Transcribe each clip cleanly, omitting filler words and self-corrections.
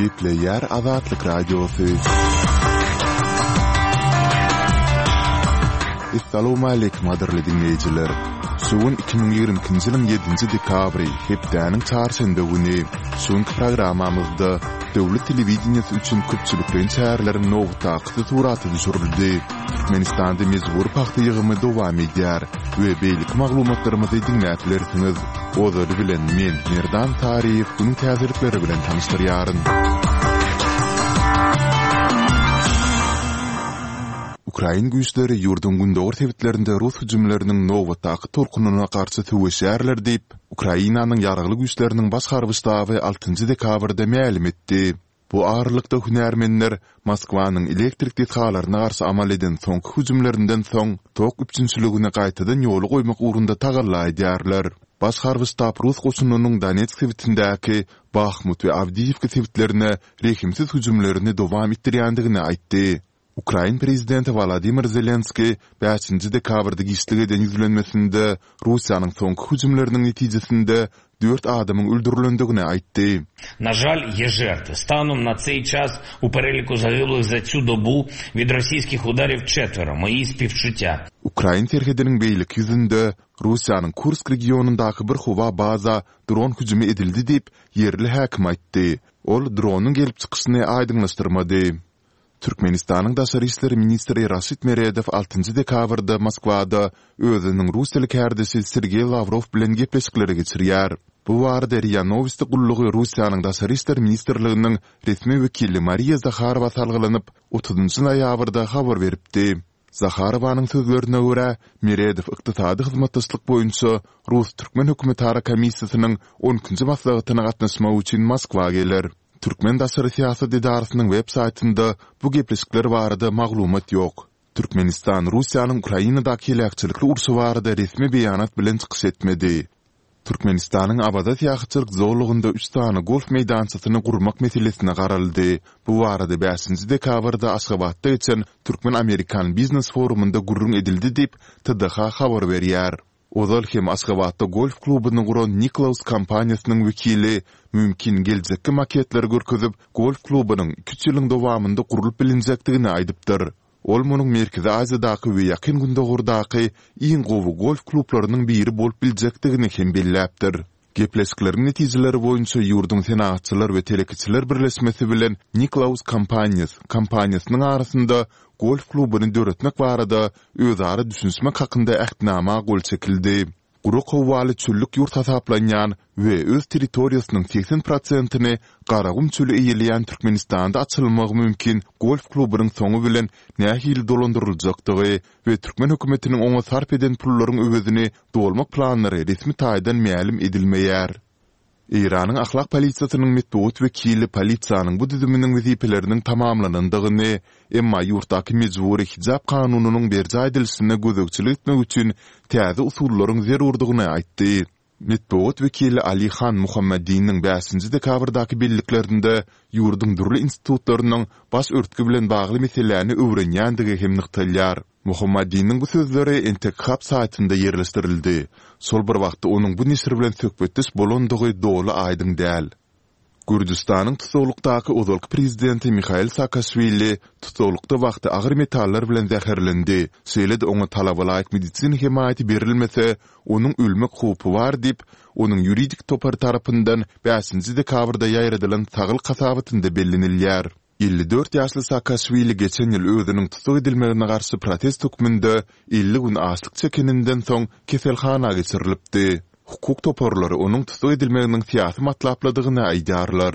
Gepleýär Azatlyk Radiosy. Essalawmaleýkim gadyrly diňleýjiler! Şu gün 2022-nji ýylyň ýedinji dekabry, hepdäniň çarşenbe güni. Şu günki programmamyzda döwlet telewideniýesi üçin köpçülikleýin çäreleriň nobatdakysy surata düşürildi. Türkmenistanda mejbury pagta ýygymy dowam edýär we beýleki maglumatlarymyzy diňläp bilersiňiz. Ozaly bilen men, Merdan Saryýew günüň täzelikleri bilen tanyşdyrýaryn. Ukrain güýçleri ýurduň gündogar sebitlerinde rus hüjümleriniň nobatdaky tolkunyna garşy söweşýärler diýip, Ukrainanyň Ýaragly Güýçleriniň Baş harby ştaby altynjy dekabrda mälim etdi. Bu aralykda hünärmenler Moskwanyň elektrik desgalaryna garşy amal eden soňky hüjümlerinden soň tok üpjünçiligini gaýtadan ýola goýmak ugrunda tagalla edýärler. Baş harby ştab rus goşunynyň Donetsk sebitindäki Bahmut we Awdiýiwka sebitlerine rehimsiz hüjümlerini dowam etdirýändigini aýtdy. Ukrain prezidenti Wolodymyr Zelenskiý bäşinji dekabrda giçlik eden ýüzlenmesinde Russiýanyň soňky hüjümleriniň netijesinde dört adamyň öldürilendigini aýtdy. Na žal, ýe žertwy. Stanom na tseý ças u pereliku zagyblych za tsu dobu wid rossiýskih udaryw çetwero. Moýi spiwçutýa. Ukrain serhediniň beýleki ýüzünde Russiýanyň Kursk regionyndaky bir howa baza dron hüjümi edildi diýip, ýerli häkim aýtdy. Ol dronyň gelip çykyşyny aýdyňlaşdyrmady. Türkmenistanyň daşary işler ministri Raşid Meredow altynjy dekabrda Moskwada özüniň russiýaly kärdeşi Sergeý Lawrow bilen gepleşikleri geçirýär. Bu barada RIA Nowosti gullugy Russiýanyň Daşary işler ministrliginiň resmi wekili Mariýa Zaharowa salgylanyp, otuzynjy noýabrda habar beripdi. Zaharowanyň sözlerine görä, Meredow ykdysady hyzmatdaşlyk boýunça rus-türkmen hökümetara komissiýasynyň on ikinji maslahatyna gatnaşmak üçin Moskwa geler. Türkmen daşary syýasat edarasynyň web saýtynda bu gepleşikler barada maglumat ýok. Türkmenistan Russiýanyň Ukrainadaky heläkçilikli urşy barada resmi beýanat bilen çykyş etmedi. Türkmenistanyň Awaza syýahatçylyk zolagynda üç sany golf meýdançasyny gurmak meselesine garaldy. Bu barada bäşinji dekabrda Aşgabatda geçen Türkmen-amerikan biznes forumynda gürrüň edildi diýip, TDH habar berýär. Ozal hem Aşgabatda golf klubuny guran Niklaus kompaniýasynyň wekili mümkin geljekki maketleri görkezip, golf klubunyň iki-üç ýylyň dowamynda gurlup bilinjekdigini aýdypdyr. Ol munuň Merkezi Aziýadaky we Ýakyn Gündogardaky iň gowy golf klublarynyň biri bolup biljekdigini hem belläpdir. Gepleşikleriň netijeleri boýunça ýurduň Senagatçylar we telekeçiler birleşmesi bilen Niklaus Companies kompaniýasynyň arasynda golf klubuny döretmek barada özara düşünişmek hakynda Ähtnama gol çekildi. Gurak howaly çöllük ýurt hasaplanýan we öz territoriýasynyň 80 prosentini Garagum çöli eýeleýän Türkmenistanda açylmagy mümkin golf klubunyň soňy bilen nähili dolandyryljakdygy we türkmen hökümetiniň oňa sarp eden pullaryň öwezini dolmak planlary resmi taýdan mälim edilmeýär. Eýranyň ahlak polisiýasynyň metbugat wekili polisiýanyň bu düzüminiň wezipeleriniň tamamlanandygyny, emma ýurtdaky mejbury hijap kanunynyň berjaý edilişine gözegçilik etmek üçin täze usullaryň zerurdygyny aýtdy. Metbugat wekili Ali Han Muhammadiniň bäşinji dekabrdaky belliklerinde ýurduň dürli institutlarynyň baş örtgi bilen bagly meseläni öwrenýändigi hem nygtalýar. Mohammadiniň bu sözleri Entekhab saýtynda ýerleşdirildi. Şol bir wagtda onuň bu neşir bilen söhbetdeş bolandygy doly aýdyň däl. Gürjüstanyň tussaglykdaky ozalky prezidenti Mihail Saakaşwili tussaglykda wagty agyr metallar bilen zäherlendi, şeýle-de oňa talabalaýyk medisina hemaýaty berilmese, onuň ölmek howpy bar diýip, onuň ýuridik topary tarapyndan bäşinji dekabrda ýaýradylan saglyk hasabatynda bellenilýär. 54 ýaşly Saakaşwili geçen ýyl özüniň tussag edilmegine garşy protest hökmünde 50 gün açlyk çekeninden soň keselhana geçirilipdi. Hukuk toparlary onuň tussag edilmeginiň syýasy matlaplydygyny aýdýarlar.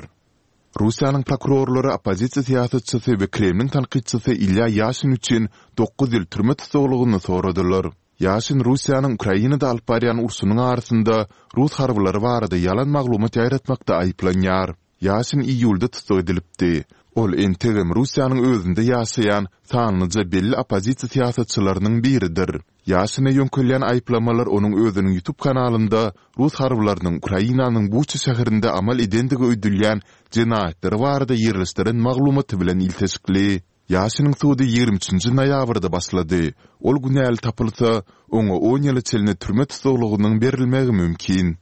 Russiýanyň prokurorlary oppozisiýa syýasatçysy we Kremliň tankytçysy Ilýa Ýaşin üçin dokuz ýyl türme tussaglygyny soradylar. Ýaşin Russiýanyň Ukrainada alyp barýan urşunyň arasynda rus harbylary barada ýalan maglumat ýaýratmakda aýyplanýar. Ýaşin iýulda tussag edilipdi. Ol entegem Russiýanyň özünde ýaşaýan sanlyja belli oppozisiýa syýasatçylarynyň biridir. Ýaşine ýöňkelýän aýyplamalar onuň özüniň YouTube kanalynda rus harbylarynyň Ukrainanyň Buça şäherinde amal edendigi öýdülýän jenaýatlary barada ýerleşdiren maglumaty bilen ilteşikli. Ýaşiniň sudy 23 nji noýabrda başlady. Ol günäli tapylsa, oňa on ýyla çenli türme tussaglygynyň berilmegi mümkin.